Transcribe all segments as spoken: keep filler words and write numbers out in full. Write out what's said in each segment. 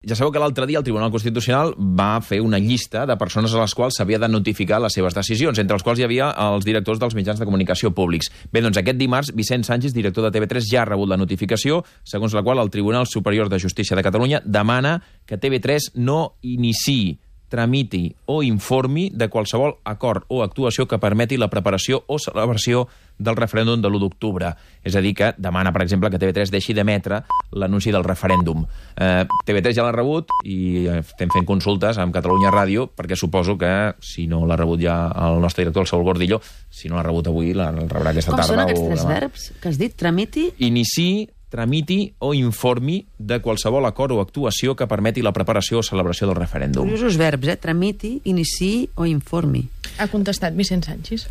ja sabeu que l'altre dia el Tribunal Constitucional va fer una llista de persones a les quals s'havia de notificar les seves decisions, entre els quals hi havia els directors dels mitjans de comunicació públics. Bé, doncs aquest dimarts, Vicent Sanchis, director de T V tres, ja ha rebut la notificació, segons la qual el Tribunal Superior de Justícia de Catalunya demana que T V tres no iniciï, tramiti o informi de qualsevol acord o actuació que permeti la preparació o celebració del referèndum de l'u d'octubre. És a dir, que demana, per exemple, que T V tres deixi d'emetre l'anunci del referèndum. Eh, T V tres ja l'ha rebut i estem fent consultes amb Catalunya Ràdio, perquè suposo que, si no l'ha rebut ja el nostre director, el Saúl Gordillo, si no l'ha rebut avui, la rebrà aquesta Com tarda. són aquests o tres demà. verbs que has dit? Tramiti? Iniciï, tramiti o informi de qualsevol acord o actuació que permeti la preparació o celebració del referèndum. Curiosos verbs, eh? Tramiti, iniciï o informi. Ha contestat Vicent Sanchis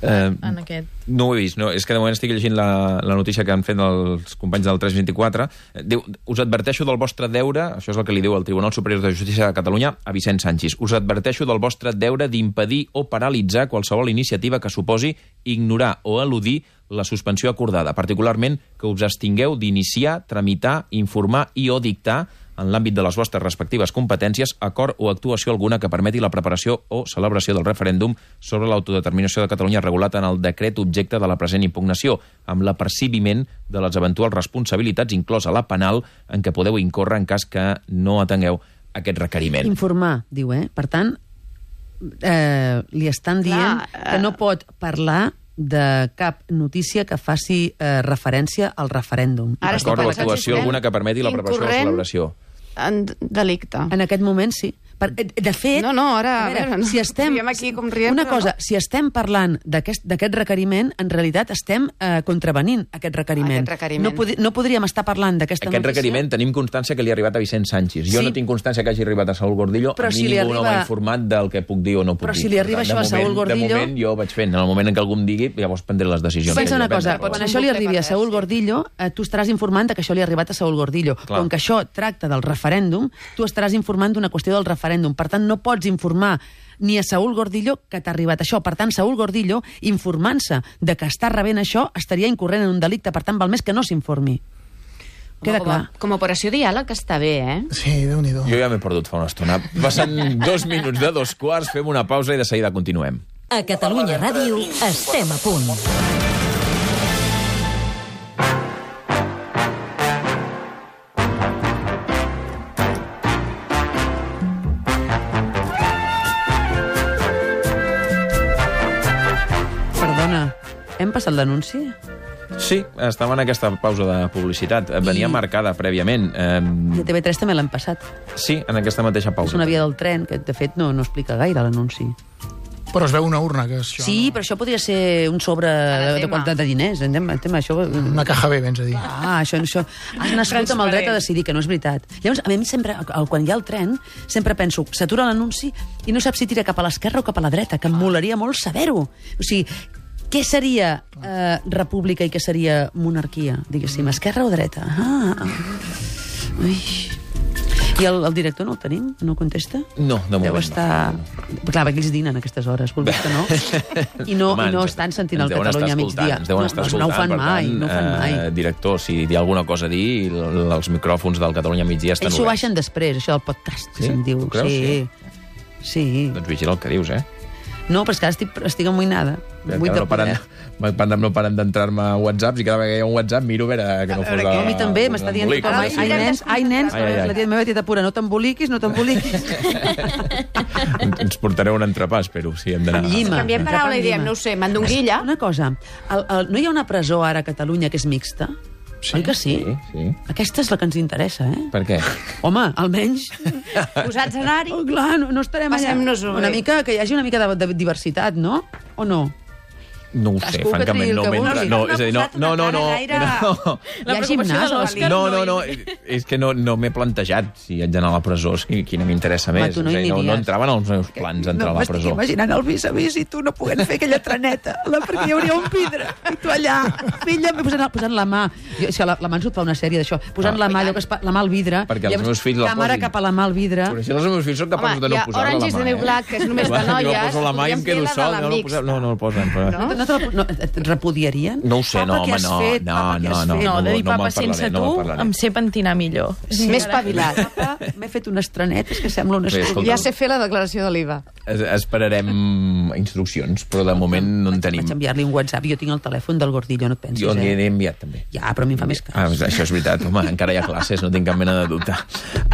Eh, en aquest... No ho he vist, no. És que de moment estic llegint la, la notícia que han fet els companys del tres vint-i-quatre. Diu, us adverteixo del vostre deure, això és el que li diu el Tribunal Superior de Justícia de Catalunya a Vicent Sanchis, us adverteixo del vostre deure d'impedir o paralitzar qualsevol iniciativa que suposi ignorar o eludir la suspensió acordada, particularment que us abstingueu d'iniciar, tramitar, informar i o dictar en l'àmbit de les vostres respectives competències, acord o actuació alguna que permeti la preparació o celebració del referèndum sobre l'autodeterminació de Catalunya regulat en el decret objecte de la present impugnació, amb l'apercibiment de les eventuals responsabilitats, inclosa la penal, en què podeu incórrer en cas que no atengueu aquest requeriment. Informar, diu, eh? Per tant, eh, li estan dient Clar, que no pot parlar de cap notícia que faci eh, referència al referèndum. Ara estic Acord o pensant si actuació estem alguna que permeti la preparació o la incorrent celebració. en delicte. En aquest moment, sí. Per, de fet... No, no, ara, a veure, a veure, no. si estem, Riem aquí com riem, una però cosa, no. si estem parlant d'aquest d'aquest requeriment, en realitat estem eh, contravenint aquest requeriment. Aquest requeriment. No, pod no podríem estar parlant d'aquesta Aquest notícia... requeriment tenim constància que li ha arribat a Vicent Sanchis. Jo Sí. no tinc constància que hagi arribat a Saúl Gordillo, Però a mi si li ningú no arriba- m'ha informat del que puc dir o no puc Però dir. si li arriba Per tant, això a de Saúl moment- Gordillo- De moment jo ho vaig fent. En el moment en què algú em digui, llavors prendré les decisions. Pensa una que he de cosa, prendre. quan Pots això li un bucle arribi a per Saúl res, sí. Gordillo, eh, tu estaràs informant que això li ha arribat a Saúl Gordillo. Clar. Com que això tracta del referèndum, tu estaràs informant d'una qüestió del referèndum. Per tant, no pots informar ni a Saúl Gordillo que t'ha arribat això. Per tant, Saúl Gordillo, informant-se de que està rebent això, estaria incorrent en un delicte. Per tant, val més que no s'informi. Queda com, a, clar. com a operació diàleg està bé, eh? Sí, Déu-n'hi-do. Jo ja m'he perdut fa una estona. Passen dos minuts de dos quarts, fem una pausa i de seguida continuem. A Catalunya Ràdio estem a punt. Perdona, hem passat l'anunci? Sí, estava en aquesta pausa de publicitat. Venia I- marcada prèviament. Eh, I a T V tres també l'hem passat. sí, en aquesta mateixa És pausa. una via del tren que, de fet, no, no explica gaire l'anunci. Però es veu una urna, que és això. Sí, però això podria ser un sobre de, de tema. quantitat de diners. Entenc, entenc, això... Una caja B, vens a dir. Ah, això, això... Has nascut amb el dret a decidir, que no és veritat. Llavors, a mi sempre, el- quan hi ha el tren, sempre penso, s'atura l'anunci i no saps si tira cap a l'esquerra o cap a la dreta, que em molaria molt saber-ho. O sigui, què seria eh, república i què seria monarquia, diguéssim, esquerra o dreta? Ah, ui... I el, el director no el tenim? No contesta? No, de moment Deu estar... Clar, perquè ells dinen a aquestes hores, vulguis que no. I no, Home, i no ens- estan sentint ens el deuen Catalunya a estar migdia. escoltant, ens deuen No, estar doncs escoltant, no ho fan per mai, tant, no ho fan mai. Eh, director, si hi ha alguna cosa a dir, l- els micròfons del Catalunya migdia estan Ells s'ho oberts. baixen després, això del podcast, que Sí? se'n diu. Ho creus? Sí. Sí. Doncs vigila el que dius, eh? No, però és que ara estic, estic amoïnada. Vull Encara de no paren, poder. no paren d'entrar-me a whatsapps i cada vegada que hi ha un whatsapp miro a veure que no fos A mi també m'està dient embolic. tothom, ai, ai, nens, ai, nens, Ai, ai, ai. la tia meva tia pura, no t'emboliquis, no t'emboliquis. Ens portareu un entrepà, espero, si hem d'anar. Amb llima. Canviem paraula i diem, no ho sé, mandonguilla. Una cosa, el, el, no hi ha una presó ara a Catalunya que és mixta? Sí, Oi que sí? sí, sí. Aquesta és la que ens interessa, eh? Per què? Home, almenys... Posats a anar-hi. Oh, clar, no, no estarem allà. Passem-nos-ho Una bé. mica, que hi hagi una mica de, de diversitat, no? O no? No ho sé, Cadascú que francament, triï el no que m'entra. vulgui. No, No és a dir, no, ha posat no, no, una no, cara gaire- no. Hi ha gimnàs a l'Òscar? No, no, no, és que no, no m'he plantejat si haig d'anar a la presó, és que quina m'interessa Home, més. tu no És a hi dir, no, no aniries. entraven als meus plans entrar a la presó. imaginant el vis-a-vis i tu no podent fer aquella treneta, la, perquè hi hauria un vidre, i tu allà, filla, posant, posant la mà, jo, és que la, la mà ens fa una sèrie d'això, posant Ah. la mà, allò que es, pa- la mà al vidre, Perquè els llavors, meus fills la càmera posin. cap a la mà al vidre. Però si els meus fills són capaços Home, de no hi ha posar-la a la mà. Orange is the New eh? Black, que és només de Jo noies. poso la mà i em podríem quedo fer la de sol. la No, no, mixta. posem, no, no el posen. Però... No, no No, te la, no et repudiarien? No ho sé, Papa, no, què home, has no, fet? no, Papa, què no, has no, fet? No, de dir no me'n papa parlaré, sense no tu, me'n parlaré. em sé pentinar millor. Sí. Més espavilat. Papa, m'he fet unes trenetes que sembla una Bé, escolta. Ja sé fer la declaració de l'I V A. Es, esperarem instruccions, però de moment no en tenim. Vaig enviar-li un WhatsApp, jo tinc el telèfon del Gordillo, no et pensis, Jo eh? n'hi he enviat també. Ja, però a mi em fa més cas. Ah, això és veritat, home, encara hi ha classes, no tinc cap mena de dubte.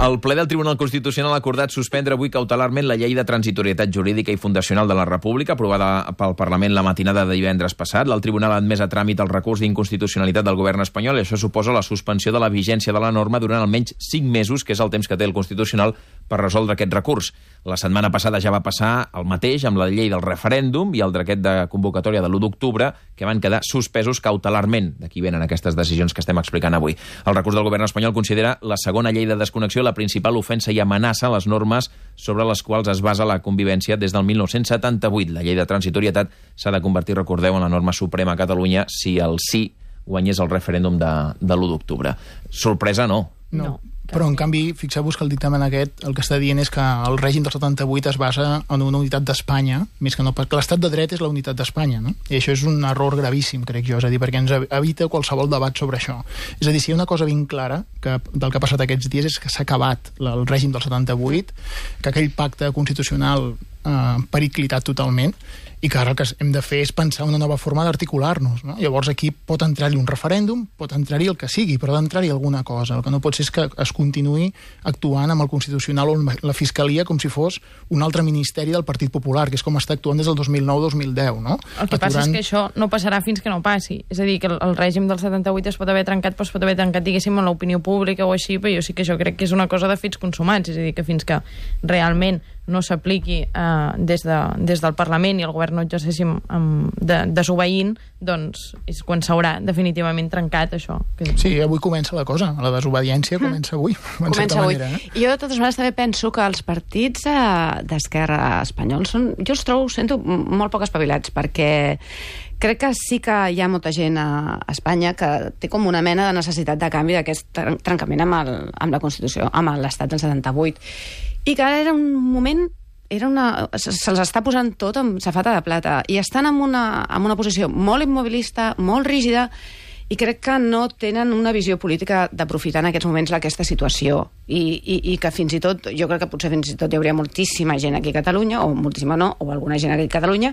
El ple del Tribunal Constitucional ha acordat suspendre avui cautelarment la llei de transitorietat jurídica i fundacional de la República, aprovada pel Parlament la matinada de divendres passat. El Tribunal ha admès a tràmit el recurs d'inconstitucionalitat del govern espanyol i això suposa la suspensió de la vigència de la norma durant almenys cinc mesos, que és el temps que té el Constitucional per resoldre aquest recurs. La setmana passada ja va passar el mateix amb la llei del referèndum i el decret de convocatòria de l'u d'octubre, que van quedar suspesos cautelarment. D'aquí venen aquestes decisions que estem explicant avui. El recurs del govern espanyol considera la segona llei de desconnexió la principal ofensa i amenaça a les normes sobre les quals es basa la convivència des del mil nou-cents setanta-vuit. La llei de transitorietat s'ha de convertir, recordeu, en la norma suprema a Catalunya si el sí guanyés el referèndum de, de l'u d'octubre. Sorpresa no. No. No. Però, en canvi, fixeu-vos que el dictamen aquest el que està dient és que el règim del setanta-vuit es basa en una unitat d'Espanya, més que no, perquè l'estat de dret és la unitat d'Espanya, no? I això és un error gravíssim, crec jo, és a dir, perquè ens evita qualsevol debat sobre això. És a dir, si hi ha una cosa ben clara que, del que ha passat aquests dies és que s'ha acabat el règim del setanta-vuit, que aquell pacte constitucional eh, periclitat totalment, i que ara el que hem de fer és pensar una nova forma d'articular-nos, no? Llavors aquí pot entrar-hi un referèndum, pot entrar-hi el que sigui, però ha d'entrar-hi alguna cosa. El que no pot ser és que es continuï actuant amb el Constitucional o la Fiscalia com si fos un altre ministeri del Partit Popular, que és com està actuant des del dos mil nou dos mil deu, no? El que passa és que això no passarà fins que no passi. És a dir, que el, el règim del setanta-vuit es pot haver trencat, però es pot haver trencat, diguéssim, en l'opinió pública o així, però jo sí que jo crec que és una cosa de fets consumats. És a dir, que fins que realment no s'apliqui eh, des, de, des del Parlament i el govern no exerceixin um, de, desobeint, doncs és quan s'haurà definitivament trencat això. Que... Sí, avui comença la cosa. La desobediència comença avui. Comença avui. Manera, eh? I jo, de totes maneres, també penso que els partits eh, d'esquerra espanyols són... Jo els trobo, sento, molt poc espavilats, perquè crec que sí que hi ha molta gent a Espanya que té com una mena de necessitat de canvi d'aquest trencament amb, el, amb la Constitució, amb l'Estat del setanta-vuit. I que ara era un moment... Era una, se'ls està posant tot amb safata de plata i estan en una, en una posició molt immobilista, molt rígida, i crec que no tenen una visió política d'aprofitar en aquests moments aquesta situació i, i, i que fins i tot, jo crec que potser fins i tot hi hauria moltíssima gent aquí a Catalunya, o moltíssima no, o alguna gent aquí a Catalunya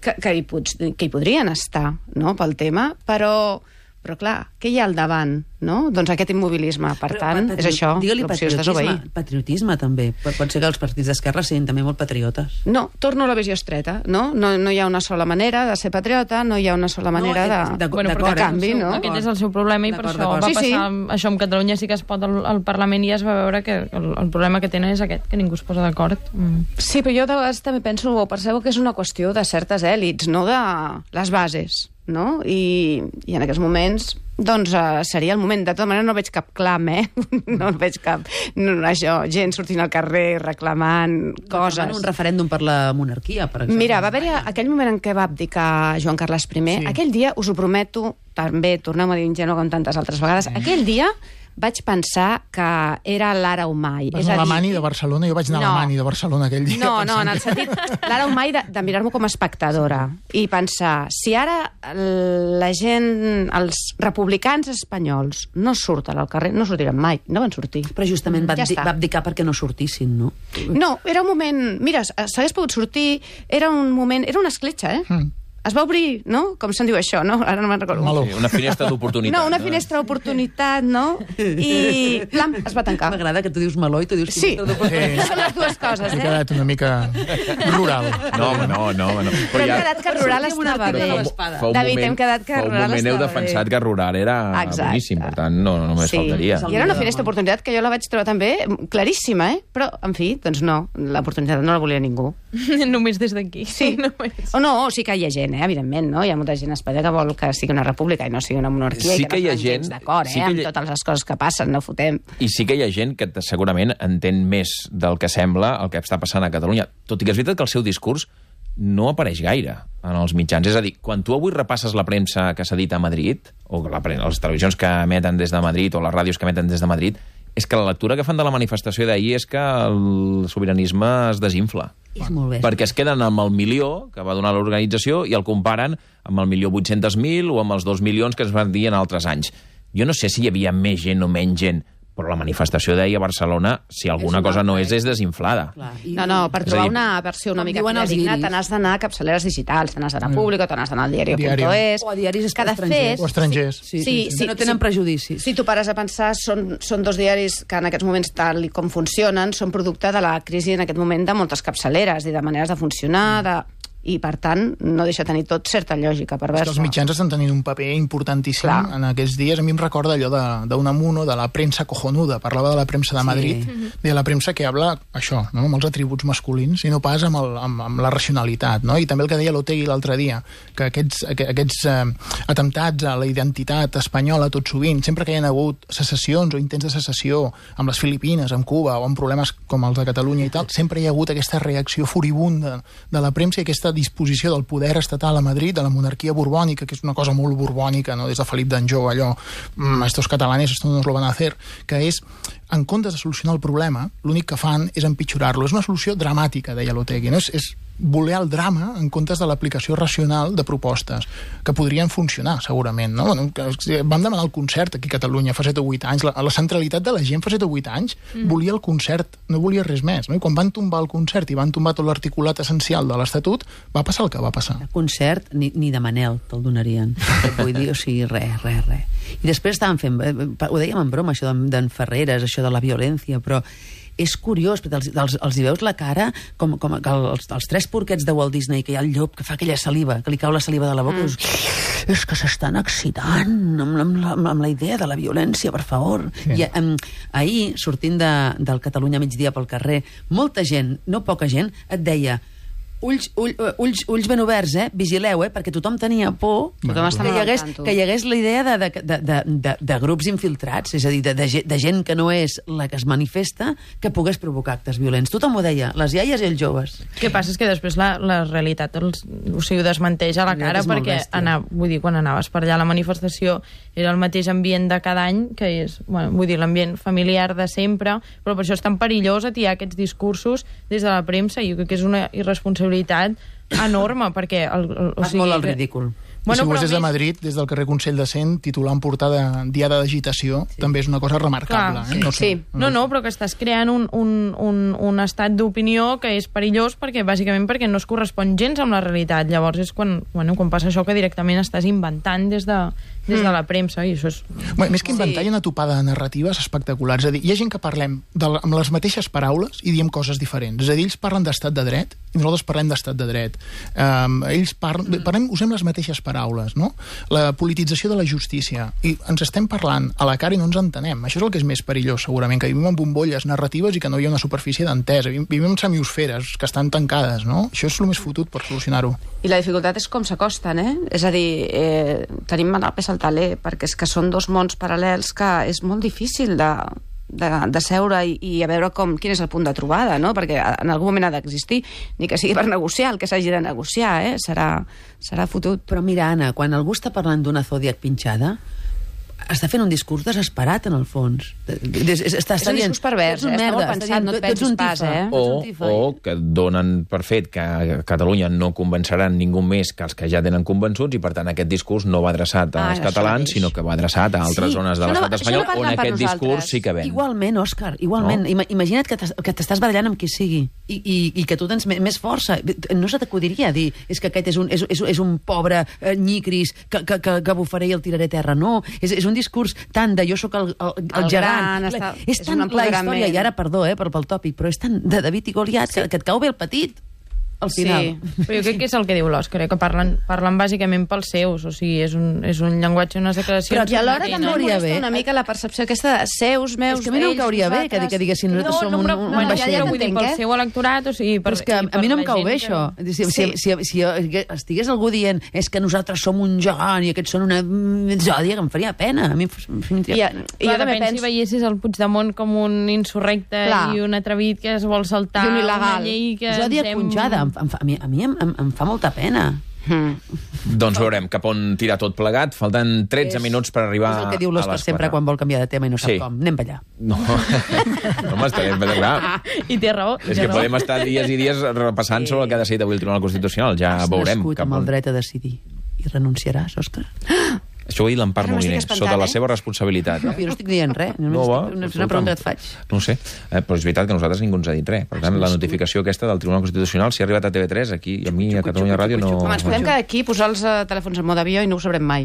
que, que, hi, pot, que hi podrien estar, no?, pel tema, però... Però clar, què hi ha al davant, no? Doncs aquest immobilisme. Per Però, tant, patri... és això, l'opció és desobeir. Patriotisme, també. Pot ser que els partits d'esquerra siguin també molt patriotes. No, torno a la visió estreta, no? No, no hi ha una sola manera de ser patriota, no hi ha una sola manera No, de, de- Bueno, d'acord, però de canvi, el seu- no? Aquest és el seu problema i per D'acord, això d'acord. va Sí, passar sí. això amb Catalunya sí que es pot al, al Parlament i ja es va veure que el, el problema que tenen és aquest, que ningú es posa d'acord. Mm. Sí, però jo de vegades també penso o percebo que és una qüestió de certes èlits, no de les bases, no? I, i en aquests moments doncs uh, seria el moment. De tota manera no veig cap clam, eh? No veig cap... No, això, gent sortint al carrer reclamant coses. Reclamant un referèndum per la monarquia, per exemple. Mira, va haver-hi aquell moment en què va abdicar Joan Carles I. Sí. Aquell dia, us ho prometo, també tornem a dir ingenu com tantes altres vegades, aquell dia vaig pensar que era l'ara Humai. Vas anar a l'Alemany de Barcelona, jo vaig anar No. a l'Alemany de Barcelona aquell dia. No, no, pensant en el que- sentit, l'ara Humai de, de mirar-m'ho com a espectadora i pensar, si ara la gent, els republicans espanyols no surten al carrer, no sortiran mai, no van sortir. Però justament va, Ja abdi- està. va abdicar perquè no sortissin, no? No, era un moment... Mira, s'hagués pogut sortir, era un moment... Era una escletxa, eh? Mm. Es va obrir, no? Com se'n diu això, no? Ara no me'n recordo. Meló. Sí, una finestra d'oportunitat. No, una finestra d'oportunitat, no? I, plam, es va tancar. M'agrada que tu dius meló i tu dius... Sí, finestra d'oportunitat. són les dues coses, He eh? quedat una mica rural. No, home, no, no, home, no. Però hem quedat que rural sortim una estava article bé. de l'espada. Fa un David, moment- hem quedat que fa un rural moment heu estava defensat bé. que rural era Exacte. boníssim, per tant, no, no només Sí. faltaria. I era una finestra d'oportunitat que jo la vaig trobar també claríssima, eh? Però, en fi, doncs no, l'oportunitat no la volia ningú. Només des d'aquí. Sí. Només. O no, o sí que hi ha gent, eh? Evidentment, no? Hi ha molta gent a Espanya que vol que sigui una república i no sigui una monarquia Sí i que que hi ha no estan gent- gens d'acord, sí eh? que Amb hi ha- totes les coses que passen, no fotem. I sí que hi ha gent que t- segurament entén més del que sembla el que està passant a Catalunya. Tot i que és veritat que el seu discurs no apareix gaire en els mitjans. És a dir, quan tu avui repasses la premsa que s'ha dit a Madrid, o la, pre- les televisions que emeten des de Madrid, o les ràdios que emeten des de Madrid, És que la lectura que fan de la manifestació d'ahir és que el sobiranisme es desinfla. És molt bé. Perquè es queden amb el milió que va donar l'organització i el comparen amb el milió vuit-cents mil o amb els dos milions que es van dir en altres anys. Jo no sé si hi havia més gent o menys gent, però la manifestació d'ahir a Barcelona, si alguna cosa no és, és desinflada. No, no, per trobar una versió una mica digna te n'has d'anar a capçaleres digitals, te n'has d'anar a Público, te n'has d'anar al diario punt es... O a diaris estrangers. O estrangers. Sí, sí, sí, no tenen prejudicis. Si tu pares a pensar, són, són dos diaris que en aquests moments, tal com funcionen, són producte de la crisi en aquest moment de moltes capçaleres i de maneres de funcionar, de... i, per tant, no deixa tenir tot certa lògica perversa. És que els mitjans estan tenint un paper importantíssim Clar. en aquests dies. A mi em recorda allò d'Unamuno, de, de la premsa cojonuda, parlava de la premsa de Madrid, sí. de la premsa que habla això, no? amb els atributs masculins, i no pas amb, el, amb, amb la racionalitat. No? I també el que deia l'Otegui l'altre dia, que aquests, aquests eh, atemptats a la identitat espanyola tot sovint, sempre que hi ha hagut secessions o intents de secessió amb les Filipines, amb Cuba, o amb problemes com els de Catalunya i tal, sempre hi ha hagut aquesta reacció furibunda de la premsa i aquesta disposició del poder estatal a Madrid, de la monarquia borbònica, que és una cosa molt borbònica, no? Des de Felip d'Anjou, allò, estos catalanes, esto no nos lo van a hacer, que és, en comptes de solucionar el problema, l'únic que fan és empitjorar-lo. És una solució dramàtica, deia l'Otegui, no? És, és voler el drama en comptes de l'aplicació racional de propostes, que podrien funcionar, segurament, no? Bueno, vam demanar el concert aquí a Catalunya fa set o vuit anys, la, la centralitat de la gent fa set o vuit anys mm. volia el concert, no volia res més, no? I quan van tombar el concert i van tombar tot l'articulat essencial de l'Estatut, va passar el que va passar. El concert, ni, ni de Manel te'l donarien. Vull dir, o sigui, res, res, res. I després estàvem fent, ho dèiem en broma, això d'en Ferreres, això de la violència, però és curiós, perquè els, els, els hi veus la cara com, com els, els tres porquets de Walt Disney, que hi ha el llop que fa aquella saliva, que li cau la saliva de la boca, mm. i dius, és que s'estan excitant amb, amb, la, amb la idea de la violència, per favor. Sí. I um, ahir, sortint de, del Catalunya migdia pel carrer, molta gent, no poca gent, et deia ulls, ull, ulls, ulls ben oberts, eh? Vigileu, eh? Perquè tothom tenia por tothom que, hi hagués, que hi hagués la idea de, de, de, de, de, de grups infiltrats, és a dir, de, de, de gent que no és la que es manifesta, que pogués provocar actes violents. Tothom ho deia, les iaies i els joves. El que passa és que després la, la realitat els, o sigui, ho desmenteix a la cara, perquè anar, vull dir, quan anaves per allà a la manifestació era el mateix ambient de cada any, que és, bueno, vull dir, l'ambient familiar de sempre, però per això és tan perillós atiar aquests discursos des de la premsa, i jo crec que és una irresponsabilitat enorme, perquè... El, el, o sigui, molt al ridícul. Bueno, si ho és des de Madrid, des del carrer Consell de Cent, titular en portada Diada d'Agitació, sí. també és una cosa remarcable. Clar, eh? no, sí. sé, no, no, no, però que estàs creant un, un, un, un estat d'opinió que és perillós, perquè bàsicament perquè no es correspon gens amb la realitat. Llavors és quan, bueno, quan passa això que directament estàs inventant des de, des de la premsa, i això és... Bueno, més que inventar, sí. hi ha una topada de narratives espectaculars. És a dir, hi ha gent que parlem de, amb les mateixes paraules i diem coses diferents. És a dir, ells parlen d'estat de dret i nosaltres parlem d'estat de dret. Um, ells parlen, parlem, usem les mateixes paraules, no? La politització de la justícia. I ens estem parlant a la cara i no ens entenem. Això és el que és més perillós, segurament, que vivim en bombolles narratives i que no hi ha una superfície d'entesa. Vivim en semiosferes que estan tancades, no? Això és el més fotut per solucionar-ho. I la dificultat és com s'acosten, eh? És a dir, eh, tenim mal al taler, perquè és que són dos mons paral·lels que és molt difícil de, de, de seure i, i a veure com, quin és el punt de trobada, no? Perquè en algun moment ha d'existir, ni que sigui per negociar, el que s'hagi de negociar, eh? Serà, serà fotut. Però mira, Anna, quan algú està parlant d'una Zodiac pinxada, està fent un discurs desesperat, en el fons. Està, està és un discurs pervers, eh? Està molt pensat, no et penses pas, eh? O, o que donen per fet que a Catalunya no convenceran ningú més que els que ja tenen convençuts, i per tant aquest discurs no va adreçat als ah, catalans, sinó que va adreçat a altres sí, zones de l'estat espanyol, on aquest discurs sí que ven. Igualment, Òscar, igualment. No? Imagina't que t'estàs barallant amb qui sigui i, i, i que tu tens més força. No se t'acudiria dir és que aquest és un, és, és, és un pobre eh, nyicris que, que, que, que bufaré i el tiraré a terra. No, és, és un discurs tant de jo sóc el, el, el, el gegant. Està, és tant la història, i ara, perdó, eh, pel, pel tòpic, però és tant de David i Goliat sí. que, que et cau bé el petit al final. Sí, però jo crec que és el que diu l'Òscar, eh, que parlen, parlen bàsicament pels seus, o sigui, és un, és un llenguatge, unes declaracions... Però que alhora també hauria bé una mica la percepció aquesta de seus, meus, ells... És que a mi no em cauria bé que, que diguessin nosaltres som un, un, un vaixell. No, vull dir, pel seu electorat, o sigui... Però és que a mi no em cau bé, això. Si, si, si, si estigués algú dient és que nosaltres som un gegant i aquests són una zòdia, que em faria pena. A mi em faria pena. I jo també penso... Si veiessis el Puigdemont com un insurrecte i un atrevit que es vol saltar una llei que... Zòdia punxada. A mi em, em fa molta pena. Mm. Doncs veurem cap on tira tot plegat. Falten tretze És- minuts per arribar És el que diu a l'Òscar les sempre quatre. quan vol canviar de tema i no sap Sí. com. Anem per allà. No, no m'està bé, però clar. I té raó. És té que raó. podem estar dies i dies repassant sobre el que ha decidit avui el Tribunal Constitucional. Ja Has veurem. nascut cap amb on- el dret a decidir. I renunciaràs, Òscar? Això ho ha dit l'Empar Ara m'estic Moliner, espantant, sota la eh? seva responsabilitat. No, Eh? jo no estic dient res. No, No, va, estic, una, una escolta'm. pregunta et faig. No ho sé, eh, però és veritat que a nosaltres ningú ens ha dit res. Per tant, la notificació aquesta del Tribunal Constitucional, si ha arribat a T V tres, aquí i a mi, a Catalunya Ràdio, no... Home, ens podem quedar aquí, posar els eh, telèfons en mode avió i no ho sabrem mai.